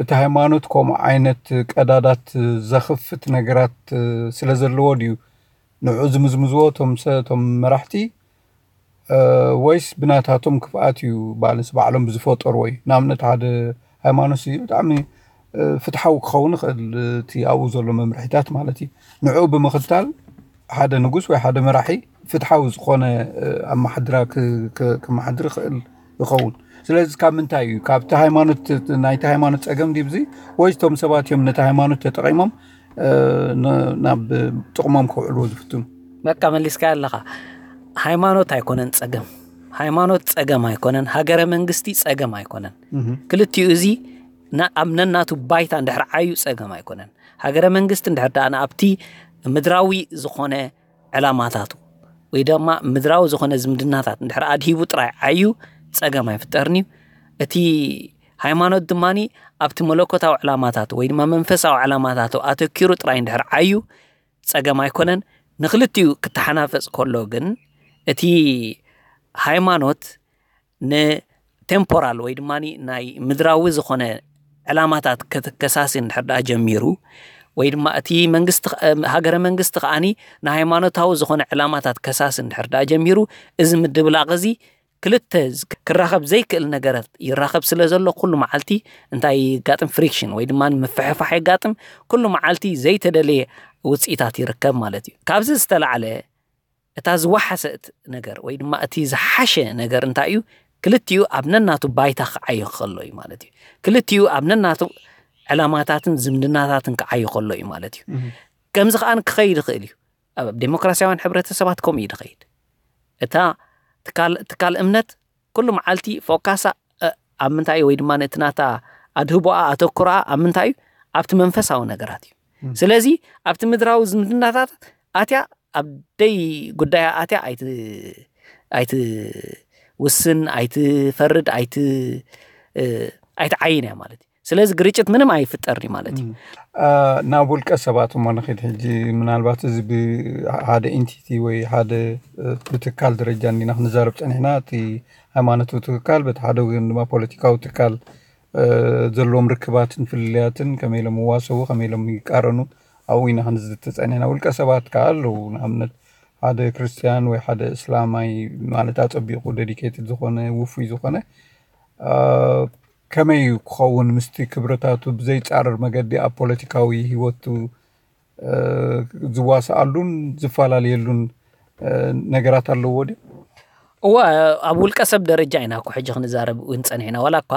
እቲ ሃይማኖት ከምኡ ዓይነት ቀዳዳት ዘኽፍት ነገራት ስለ ዘለዎ ድዩ ንዑ ዝምዝምዝዎ እቶም ሰብ እቶም መራሕቲ ወይስ ብናታቶም ክፍኣት እዩ ባለንስ ባዕሎም ብዝፈጠርዎ እዩ? ንኣብነት ሓደ ሃይማኖት እዩ ብጣዕሚ ፍትሓዊ ክኸውን ይኽእል እቲ ኣብኡ ዘሎ መምርሒታት ማለት እዩ። ንዑ ብምኽታል ሓደ ንጉስ ወይ ሓደ መራሒ ፍትሓዊ ዝኾነ ኣመሓድራ ከመሓድር ይኽእል ይኸውን። ስለዚ ካብ ምንታይ እዩ ካብቲ ሃይማኖት ናይቲ ሃይማኖት ፀገም ድብዚ ወይ እቶም ሰባት እዮም ነቲ ሃይማኖት ተጠቒሞም ናብ ጥቕሞም ከውዕልዎ ዝፍትኑ? በቃ መሊስካ ኣለኻ። ሃይማኖት ኣይኮነን ፀገም። ሃይማኖት ፀገም ኣይኮነን። ሃገረ መንግስቲ ፀገም ኣይኮነን። ክልቲኡ እዚ ኣብ ነናቱ ባይታ እንድሕር ዓዩ ፀገም ኣይኮነን። ሃገረ መንግስቲ እንድሕር ደኣ ኣብቲ ምድራዊ ዝኾነ ዕላማታቱ ወይ ድማ ምድራዊ ዝኾነ ዝምድናታት እንድሕር ኣድሂቡ ጥራይ ዓዩ ፀገም ኣይፍጠርን እዩ። እቲ ሃይማኖት ድማ ኣብቲ መለኮታዊ ዕላማታቱ ወይ ድማ መንፈሳዊ ዕላማታቱ ኣተኪሩ ጥራይ እንድሕር ዓዩ ፀገም ኣይኮነን። ንክልቲኡ ክተሓናፈፅ ከሎ ግን እቲ ሃይማኖት ንቴምፖራል ወይ ድማ ናይ ምድራዊ ዝኾነ ዕላማታት ከሳሲ እንድሕር ደኣ ጀሚሩ ወይ ድማ እቲ መንግስቲ ሃገረ መንግስቲ ከዓኒ ንሃይማኖታዊ ዝኾነ ዕላማታት ከሳሲ እንድሕር ደኣ ጀሚሩ እዚ ምድብላቕ እዚ ክልተ ክራኸብ ዘይክእል ነገራት ይራኸብ ስለ ዘሎ ኩሉ መዓልቲ እንታይ ይጋጥም ፍሪክሽን ወይ ድማ ምፍሕፋሕ የጋጥም። ኩሉ መዓልቲ ዘይተደለየ ውፅኢታት ይርከብ ማለት እዩ። ካብዚ ዝተላዕለ እታ ዝወሓሰት ነገር ወይ ድማ እቲ ዝሓሸ ነገር እንታይ እዩ? ክልቲኡ ኣብ ነናቱ ባይታ ክዓዩ ከሎ እዩ ማለት እዩ። ክልቲኡ ኣብ ነናቱ ዕላማታትን ዝምድናታትን ክዓዩ ከሎ እዩ ማለት እዩ። ከምዚ ከኣ ክኸይድ ይኽእል እዩ። ኣብ ዴሞክራሲያውያን ሕብረተሰባት ከምኡ እዩ ዝኸይድ። እታ ትካል እምነት ኩሉ መዓልቲ ፎካሳ ኣብ ምንታይ ወይ ድማ እቲ ናታ ኣድህቦኣ ኣተኩሮኣ ኣብ ምንታይ እዩ? ኣብቲ መንፈሳዊ ነገራት እዩ። ስለዚ ኣብቲ ምድራዊ ዝምድናታት ኣትያ ኣብ ደይ ጉዳያ ኣትያ ኣይትውስን፣ ኣይትፈርድ፣ ኣይትዓይን እያ ማለት እዩ። ስለዚ ግርጭት ምንም ኣይፍጠርን እዩ ማለት እዩ። ናብ ውልቀ ሰባት እሞ ንኺድ ሕጂ። ምናልባት እዚ ብሓደ ኢንቲቲ ወይ ሓደ ብትካል ደረጃ እንዲና ክንዛረብ ፀኒሕና። እቲ ሃይማኖታዊ ትካል በቲ ሓደ ወገን ድማ ፖለቲካዊ ትካል ዘለዎም ርክባትን ፍልልያትን ከመይ ኢሎም ይዋሰቡ ከመይ ኢሎም ይቃረኑ ኣብኡ ኢና ክንዝቲ ፀኒሕና። ውልቀ ሰባት ከዓ ኣለዉ። ንኣብነት ሓደ ክርስትያን ወይ ሓደ እስላማይ ማለት ኣፀቢቑ ደዲኬትድ ዝኾነ ውፉይ ዝኾነ ከመይ ክኸውን ምስቲ ክብረታቱ ብዘይፃረር መገዲ ኣብ ፖለቲካዊ ህይወቱ ዝዋስኣሉን ዝፈላለየሉን ነገራት ኣለዎ ድዩ? እወ፣ ኣብ ውልቀ ሰብ ደረጃ ኢና እኮ ሕጂ ክንዛረብ እውን ፀኒሕና። ዋላ እኳ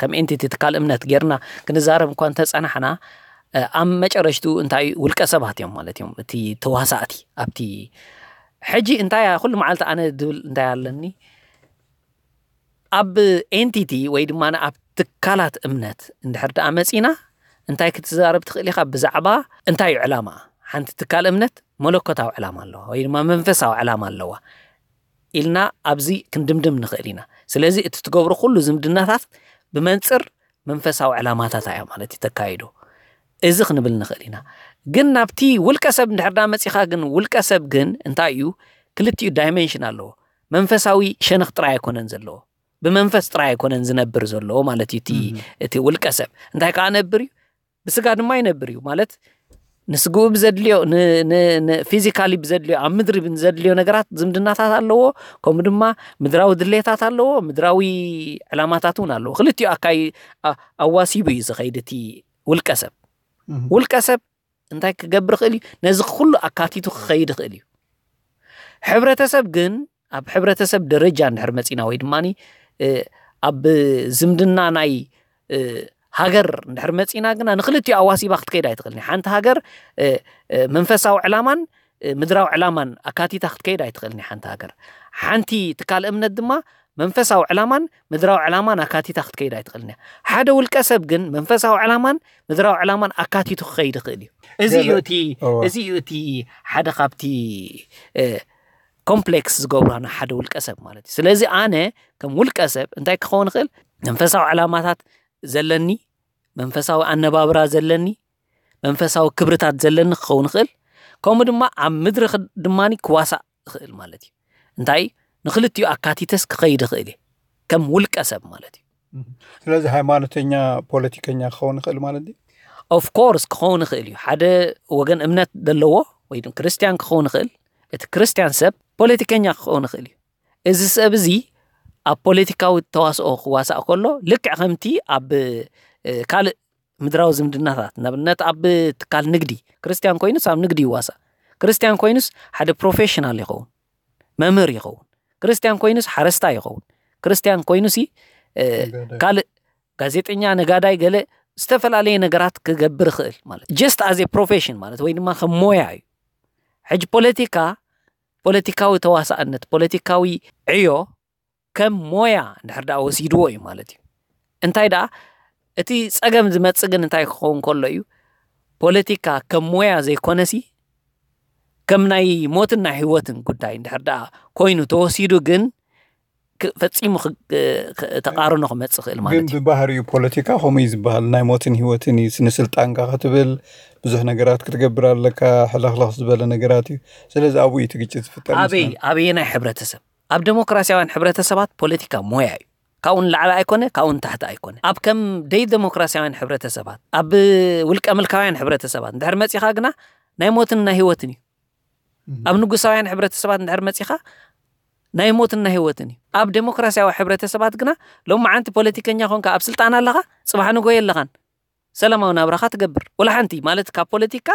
ከም ኤንቲቲ ትካል እምነት ጌርና ክንዛረብ እኳ እንተፀናሕና ኣብ መጨረሽቱ እንታይ ውልቀ ሰባት እዮም ማለት እዮም እቲ ተዋሳእቲ ኣብቲ ሕጂ እንታይ ኩሉ መዓልቲ ኣነ ድብል እንታይ ኣለኒ ኣብ ኤንቲቲ ወይ ድማ ኣብ ትካላት እምነት እንድሕር ደኣ መፂና እንታይ ክትዛረብ ትኽእል ኢኻ ብዛዕባ እንታይ እዩ ዕላማ ሓንቲ ትካል እምነት መለኮታዊ ዕላማ ኣለዋ ወይ ድማ መንፈሳዊ ዕላማ ኣለዋ ኢልና ኣብዚ ክንድምድም ንኽእል ኢና። ስለዚ እቲ ትገብሮ ኩሉ ዝምድናታት ብመንጽር መንፈሳዊ ዕላማታት እያ ማለት እዩ ተካይዶ። እዚ ክንብል ንኽእል ኢና። ግን ናብቲ ውልቀ ሰብ እንድሕር ዳ መጺኻ ግን ውልቀ ሰብ ግን እንታይ እዩ? ክልቲኡ ዳይሜንሽን ኣለዎ። መንፈሳዊ ሸነኽ ጥራይ ኣይኮነን ዘለዎ። ብመንፈስ ጥራይ ኣይኮነን ዝነብር ዘለዎ ማለት እዩ እቲ ውልቀ ሰብ። እንታይ ከኣ ነብር እዩ? ብስጋ ድማ ይነብር እዩ ማለት ንስግኡ ብዘድልዮ ፊዚካሊ ብዘድልዮ ኣብ ምድሪ ብዘድልዮ ነገራት ዝምድናታት ኣለዎ። ከምኡ ድማ ምድራዊ ድሌታት ኣለዎ፣ ምድራዊ ዕላማታት እውን ኣለዎ። ክልቲኡ ኣካይ ኣዋሲቡ እዩ ዝኸይድ እቲ ውልቀ ሰብ። ውልቀ ሰብ እንታይ ክገብር ይኽእል እዩ? ነዚ ኩሉ ኣካቲቱ ክኸይድ ይኽእል እዩ። ሕብረተሰብ ግን ኣብ ሕብረተሰብ ደረጃ እንድሕር መጺና ወይ ድማ ኣብ ዝምድና ናይ ሃገር እንድሕር መጺና ግና ንክልቲኡ ኣዋሲባ ክትከይድ ኣይትኽእልን። ሓንቲ ሃገር መንፈሳዊ ዕላማን ምድራዊ ዕላማን ኣካቲታ ክትከይድ ኣይትኽእልን። ሓንቲ ሃገር ሓንቲ ትካል እምነት ድማ መንፈሳዊ ዕላማን ምድራዊ ዕላማን ኣካቲታ ክትከይድ ኣይትኽእልን። ሓደ ውልቀ ሰብ ግን መንፈሳዊ ዕላማን ምድራዊ ዕላማን ኣካቲቱ ክኸይድ ይኽእል እዩ። እዚ እዩ እቲ እዚ እዩ እቲ ሓደ ካብቲ ኮምፕሌክስ ዝገብራ ንሓደ ውልቀ ሰብ ማለት እዩ። ስለዚ ኣነ ከም ውልቀ ሰብ እንታይ ክኸውን ይኽእል? መንፈሳዊ ዕላማታት ዘለኒ፣ መንፈሳዊ ኣነባብራ ዘለኒ፣ መንፈሳዊ ክብርታት ዘለኒ ክኸውን ይኽእል። ከምኡ ድማ ኣብ ምድሪ ድማ ክዋሳእ ይኽእል ማለት እዩ። እንታይ ንክልቲኡ ኣካቲተስ ክኸይድ ይኽእል እየ ከም ውልቀ ሰብ ማለት እዩ። ስለዚ ሃይማኖተኛ ፖለቲከኛ ክኸውን ይኽእል ማለት እዩ። ኦፍኮርስ ክኸውን ይኽእል እዩ። ሓደ ወገን እምነት ዘለዎ ወይ ክርስትያን ክኸውን ይኽእል። እቲ ክርስትያን ሰብ ፖለቲከኛ ክኸውን ይኽእል እዩ። እዚ ሰብ እዚ ኣብ ፖለቲካዊ ተዋስኦ ክዋሳእ ከሎ ልክዕ ከምቲ ኣብ ካልእ ምድራዊ ዝምድናታት ንኣብነት ኣብ ትካል ንግዲ ክርስትያን ኮይኑስ ኣብ ንግዲ ይዋሳእ። ክርስትያን ኮይኑስ ሓደ ፕሮፌሽናል ይኸውን፣ መምህር ይኸውን። ክርስትያን ኮይኑስ ሓረስታይ ይኸውን። ክርስትያን ኮይኑሲ ካልእ ጋዜጠኛ፣ ነጋዳይ፣ ገለ ዝተፈላለየ ነገራት ክገብር ይኽእል ማለት just as a profession ማለት ወይ ድማ ከም ሞያ እዩ። ሕጂ ፖለቲካ ፖለቲካዊ ተዋሳእነት ፖለቲካዊ ዕዮ ከም ሞያ እንድሕር ደኣ ወሲድዎ እዩ ማለት እዩ። እንታይ ደኣ እቲ ጸገም ዝመጽእ ግን እንታይ ክኸውን ከሎ እዩ? ፖለቲካ ከም ሞያ ዘይኮነሲ ከም ናይ ሞትን ናይ ህይወትን ጉዳይ እንድሕር ደኣ ኮይኑ ተወሲዱ ግን ፈጺሙ ተቃርኖ ክመጽእ ይኽእል ማለት እዩ። ብባህሪኡ ፖለቲካ ከምኡ እዩ ዝበሃል። ናይ ሞትን ህይወትን እዩ። ንስልጣንካ ክትብል ብዙሕ ነገራት ክትገብር ኣለካ። ሕለኽለኽ ዝበለ ነገራት እዩ። ስለዚ ኣብኡ እዩ እቲ ግጭት ዝፍጠር። ኣበይ ኣበየናይ ሕብረተሰብ? ኣብ ዴሞክራሲያውያን ሕብረተሰባት ፖለቲካ ሞያ እዩ። ካብኡ ንላዕሊ ኣይኮነ፣ ካብኡ ንታሕቲ ኣይኮነ። ኣብ ከም ደይ ዴሞክራሲያውያን ሕብረተሰባት፣ ኣብ ውልቀ ምልካውያን ሕብረተሰባት እንድሕር መጺኻ ግና ናይ ሞትን ናይ ህይወትን እዩ። ኣብ ንጉሳውያን ሕብረተሰባት እንድሕር መጺኻ ናይ ሞትን ናይ ህይወትን እዩ። ኣብ ዴሞክራሲያዊ ሕብረተሰባት ግና ሎማዓንቲ ፖለቲከኛ ኮንካ ኣብ ስልጣን ኣለኻ፣ ጽባሕ ንጎ የለኻን። ሰላማዊ ናብራኻ ትገብር። ወላ ሓንቲ ማለት ካብ ፖለቲካ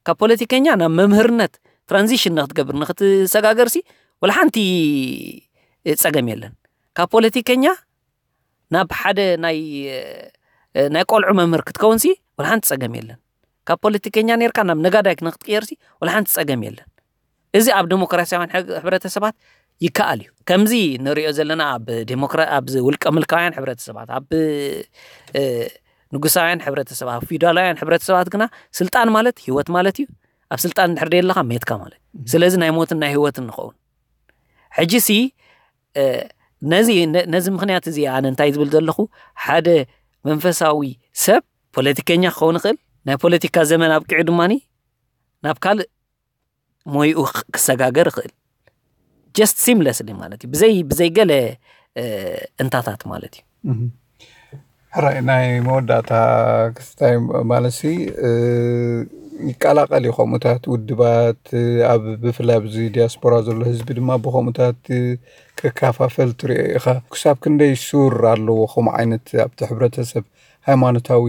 ካብ ፖለቲከኛ ናብ መምህርነት ትራንዚሽን ንክትገብር ንክትሰጋገርሲ ወላ ሓንቲ ጸገም የለን። ካብ ፖለቲከኛ ናብ ሓደ ናይ ናይ ቆልዑ መምህር ክትከውንሲ ወላ ሓንቲ ጸገም የለን። ካብ ፖለቲከኛ ነርካ ናብ ነጋዳይ ንክትቅየርሲ ወላ ሓንቲ ጸገም የለን። እዚ ኣብ ዴሞክራሲያውያን ሕብረተሰባት ይከኣል እዩ። ከምዚ ንሪኦ ዘለና ኣብ ዴሞክራ ኣብዚ ውልቀ ምልካውያን ሕብረተሰባት ኣብ ንጉሳውያን ሕብረተሰባት ኣብ ፊውዳላውያን ሕብረተሰባት ግና ስልጣን ማለት ህይወት ማለት እዩ። ኣብ ስልጣን እንድሕር ደየለኻ ሜትካ ማለት እዩ። ስለዚ ናይ ሞትን ናይ ህይወትን ንኸውን። ሕጂ ሲ ነዚ ነዚ ምኽንያት እዚ ኣነ እንታይ ዝብል ዘለኹ ሓደ መንፈሳዊ ሰብ ፖለቲከኛ ክኸውን ይኽእል። ናይ ፖለቲካ ዘመን ኣብቂዑ ድማ ናብ ካልእ ሞይኡ ክሰጋገር ይኽእል። Just seamlessly ማለት እዩ። ብዘይ ብዘይ ገለ እንታታት ማለት እዩ። ሕራይ ናይ መወዳእታ ክስታይ ማለት ሲ ይቀላቀል እዩ። ከምኡታት ውድባት ኣብ ብፍላይ ኣብዚ ዲያስፖራ ዘሎ ህዝቢ ድማ ብከምኡታት ክከፋፈል ትሪኦ ኢኻ። ክሳብ ክንደይ ሱር ኣለዎ ከምኡ ዓይነት ኣብቲ ሕብረተሰብ ሃይማኖታዊ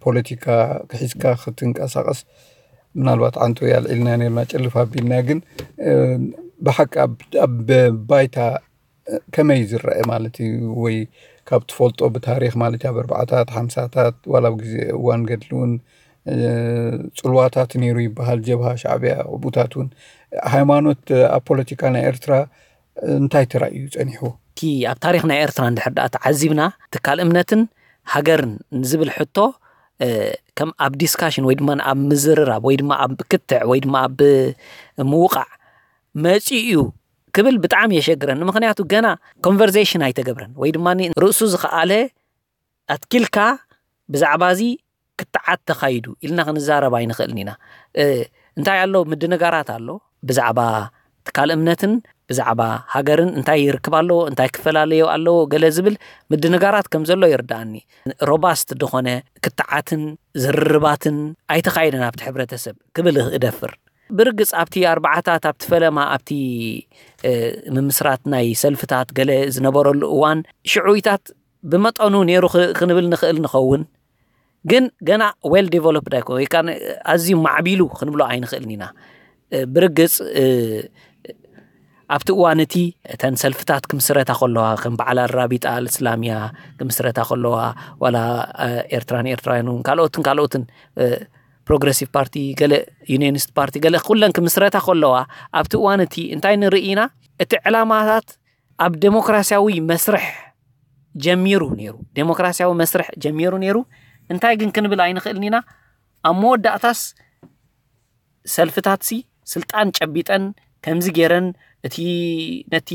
ፖለቲካ ክሒዝካ ክትንቀሳቀስ? ምናልባት ዓንቶ ኣልዒልና ነርና ጭልፍ ኣቢልና ግን ብሓቂ ኣብ ባይታ ከመይ ዝረአ ማለት እዩ ወይ ካብ ትፈልጦ ብታሪክ ማለት ኣብ ኣርባዓታት ሓምሳታት ዋላ ኣብ ግዜ እዋን ገድሊ እውን ፅልዋታት ነይሩ ይበሃል። ጀብሃ ሻዕብያ ብኡታት እውን ሃይማኖት ኣብ ፖለቲካ ናይ ኤርትራ እንታይ ተራእዩ ፀኒሕዎ? እቲ ኣብ ታሪክ ናይ ኤርትራ እንድሕር ደኣ ተዓዚብና ትካል እምነትን ሃገርን ዝብል ሕቶ ከም ኣብ ዲስካሽን ወይ ድማ ኣብ ምዝርራብ ወይ ድማ ኣብ ክትዕ ወይ ድማ ኣብ ምውቃዕ መፂኡ እዩ ክብል ብጣዕሚ የሸግረኒ። ምክንያቱ ገና ኮንቨርሴሽን ኣይተገብረን ወይ ድማ ርእሱ ዝኸኣለ ኣትኪልካ ብዛዕባ እዚ ክትዓት ተኻይዱ ኢልና ክንዛረብ ኣይንኽእልን ኢና። እንታይ ኣሎ? ምድንጋራት ኣሎ ብዛዕባ ትካል እምነትን ብዛዕባ ሃገርን እንታይ ይርክብ ኣለዎ፣ እንታይ ክፈላለዮ ኣለዎ ገለ ዝብል ምድንጋራት ከም ዘሎ ይርዳኣኒ። ሮባስት ዝኾነ ክትዓትን ዝርርባትን ኣይተኻየደን ኣብቲ ሕብረተሰብ ክብል እደፍር። ብርግጽ ኣብቲ ኣርባዓታት ኣብቲ ፈለማ ኣብቲ ምምስራት ናይ ሰልፍታት ገለ ዝነበረሉ እዋን ሽዑይታት ብመጠኑ ነይሩ ክንብል ንኽእል ንኸውን። ግን ገና ዌል ዲቨሎፕድ ኣይኮ ወይ ከዓ ኣዝዩ ማዕቢሉ ክንብሎ ኣይንኽእልን ኢና። ብርግጽ ኣብቲ እዋን እቲ እተን ሰልፍታት ክምስረታ ከለዋ ከም በዓል ኣራቢጣ ኣልእስላምያ ክምስረታ ከለዋ ዋላ ኤርትራን ኤርትራውያን እውን ካልኦትን ካልኦትን ፕሮግረሲቭ ፓርቲ ገለ ዩኒየኒስት ፓርቲ ገለ ኩለን ክምስረታ ከለዋ ኣብቲ እዋን እቲ እንታይ ንርኢ ኢና? እቲ ዕላማታት ኣብ ዴሞክራሲያዊ መስርሕ ጀሚሩ ነይሩ። ዴሞክራሲያዊ መስርሕ ጀሚሩ ነይሩ። እንታይ ግን ክንብል ኣይንኽእልን ኢና። ኣብ መወዳእታስ ሰልፍታትሲ ስልጣን ጨቢጠን ከምዚ ገይረን እቲ ነቲ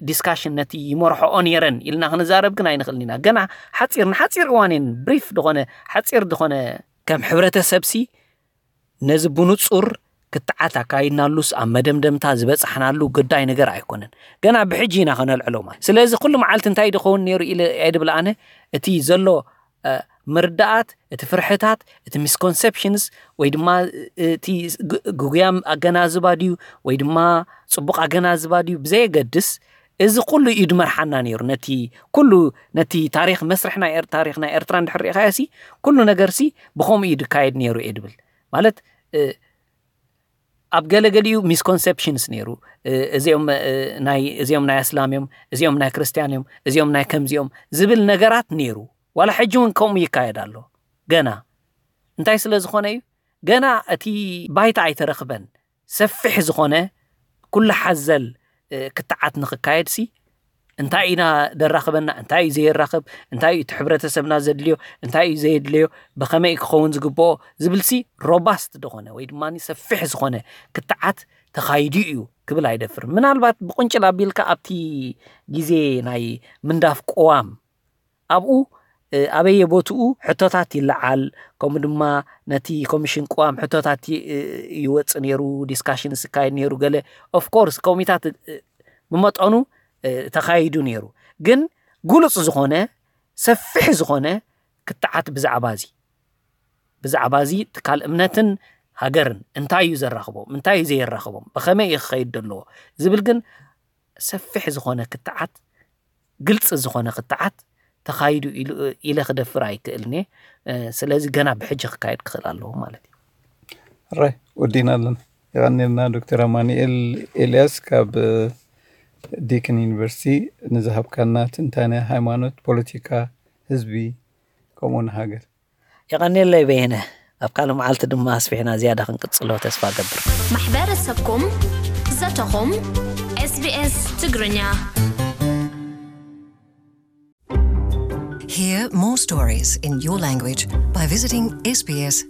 ዲስካሽን ነቲ ይመርሖኦ ነይረን ኢልና ክንዛረብ ግን ኣይንኽእልን ኢና። ገና ሓፂር ንሓፂር እዋን እየን ብሪፍ ዝኾነ ሓፂር ዝኾነ ከም ሕብረተሰብሲ ነዚ ብንፁር ክትዓት ኣካይድናሉስ ኣብ መደምደምታ ዝበፃሕናሉ ግዳይ ነገር ኣይኮነን። ገና ብሕጂ ኢና ከነልዕሎ ማለት። ስለዚ ኩሉ መዓልቲ እንታይ ድኸውን ነይሩ ኢለ ኣይድብል ኣነ። እቲ ዘሎ ምርዳኣት፣ እቲ ፍርሕታት፣ እቲ ሚስኮንሰፕሽንስ ወይ ድማ እቲ ግጉያም ኣገናዝባ ድዩ ወይ ድማ ፅቡቕ ኣገናዝባ ድዩ ብዘየገድስ እዚ ኩሉ እዩ ድመርሓና ነይሩ። ነቲ ኩሉ ነቲ ታሪኽ መስርሕ ናይ ታሪኽ ናይ ኤርትራ እንድሕር ርኢኻዮ ሲ ኩሉ ነገር ሲ ብኸምኡ እዩ ድካየድ ነይሩ እየ ድብል። ማለት ኣብ ገለገሊኡ ሚስኮንሰፕሽንስ ነይሩ። እዚኦም ናይ እዚኦም ናይ ኣስላም እዮም፣ እዚኦም ናይ ክርስትያን እዮም፣ እዚኦም ናይ ከምዚኦም ዝብል ነገራት ነይሩ። ዋላ ሕጂ እውን ከምኡ ይካየድ ኣሎ። ገና እንታይ ስለ ዝኾነ እዩ? ገና እቲ ባይታ ኣይተረኽበን። ሰፊሕ ዝኾነ ኩሉ ሓዘል ክትዓት ንኽካየድ ሲ እንታይ ኢና ደራኽበና፣ እንታይ እዩ ዘየራኽብ፣ እንታይ እዩ እቲ ሕብረተሰብና ዘድልዮ፣ እንታይ እዩ ዘየድልዮ፣ ብኸመይ ክኸውን ዝግብኦ ዝብል ሲ ሮባስት ዝኾነ ወይ ድማ ሰፊሕ ዝኾነ ክትዓት ተኻይዱ እዩ ክብል ኣይደፍር። ምናልባት ብቁንጭል ኣቢልካ ኣብቲ ግዜ ናይ ምንዳፍ ቅዋም ኣብኡ ኣበየ ቦትኡ ሕቶታት ይለዓል፣ ከምኡ ድማ ነቲ ኮሚሽን ቅዋም ሕቶታት ይወፅ ነይሩ፣ ዲስካሽን ዝካየድ ነይሩ። ገለ ኦፍኮርስ ኮሚታት ብመጠኑ ተኻይዱ ነይሩ። ግን ግሉፅ ዝኾነ ሰፊሕ ዝኾነ ክትዓት ብዛዕባ እዚ ብዛዕባ እዚ ትካል እምነትን ሃገርን እንታይ እዩ ዘራኽቦም፣ እንታይ እዩ ዘየራኽቦም፣ ብኸመይ እዩ ክኸይድ ዘለዎ ዝብል ግን ሰፊሕ ዝኾነ ክትዓት፣ ግልፂ ዝኾነ ክትዓት ተኻይዱ ኢለ ክደፍር ኣይክእልን እየ። ስለዚ ገና ብሕጂ ክካየድ ክኽእል ኣለዎ ማለት እዩ። ራይ ወዲና ኣለና። የቐኒልና ዶክተር ኣማኑኤል ኤልያስ ካብ ዲክን ዩኒቨርሲቲ ንዝሃብካና ትንታነ ሃይማኖት፣ ፖለቲካ፣ ህዝቢ ከምኡ ንሃገር። የቐኒለይ በየነ። ኣብ ካልእ መዓልቲ ድማ ኣስፊሕና ዝያዳ ክንቅጽሎ ተስፋ ገብር። ማሕበረሰብኩም ዘተኹም ኤስቢኤስ ትግርኛ። Hear more stories in your language by visiting sbs.com.au.